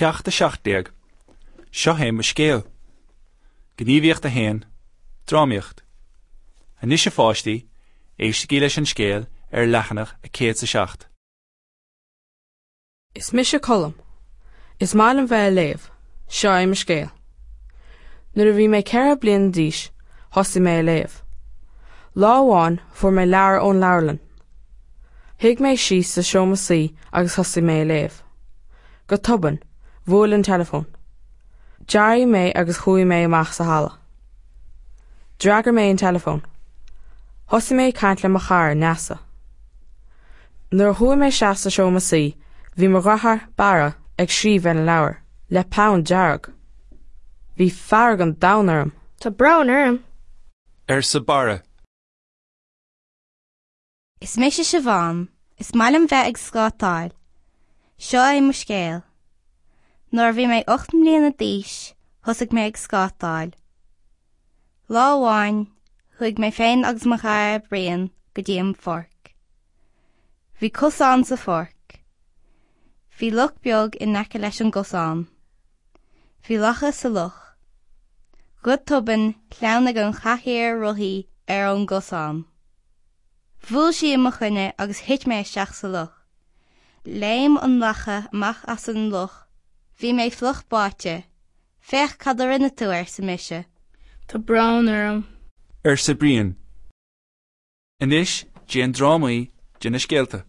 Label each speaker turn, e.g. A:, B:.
A: Ceacht 17. Seo é mo scéal. Gníomhaíocht 1, Drámaíocht. Anois a pháistí, éistigí leis an scéal ar leathanach 107.
B: Is mise Colm. Is maith liom bheith ag léamh. Seo é mo scéal. Nuair a bhí mé 4 bliana d'aois, thosaigh mé ag léamh. Lá amháin fuair mé leabhar ón leabharlann. Shuigh mé síos sa seomra suí agus thosaigh mé ag léamh. Go tobann, bhuail an teileafón. D'éirigh mé agus chuaigh mé amach sa halla. D'fhreagair mé an teileafón. Thosaigh mé ag caint le mo chara, Neasa. Nuair a chuaigh mé isteach sa seomra suí, bhí mo dheartháir, Barra, ag scríobh ar an leabhar, le peann dearg. Bhí fearg an domhain orm.
C: Tá brón orm.
A: Arsa Barra.
D: Is mise Siobhán. Is maith liom bheith ag scátáil. Seo é mo scéal. Nuair a bhí mé 8 mbliana d'aois, thosaigh mé ag scátáil. Lá amháin, chuaigh mé féin agus mo chara Brian go dtí an pháirc. Bhí cosán sa pháirc. Bhí loch beag in aice leis an gcosán. Bhí lacha sa loch. Go tobann, shleamhnaigh an chathaoir rothaí ar an gcosán. Bhuail sí i mo choinne agus thit mé isteach sa loch. Léim an lacha amach as an loch. Bhí mé fliuch báite. Féach cad a rinne tú, arsa mise.
C: Tá brón orm.
A: Arsa Brian. Anois déan drámaí de na scéalta.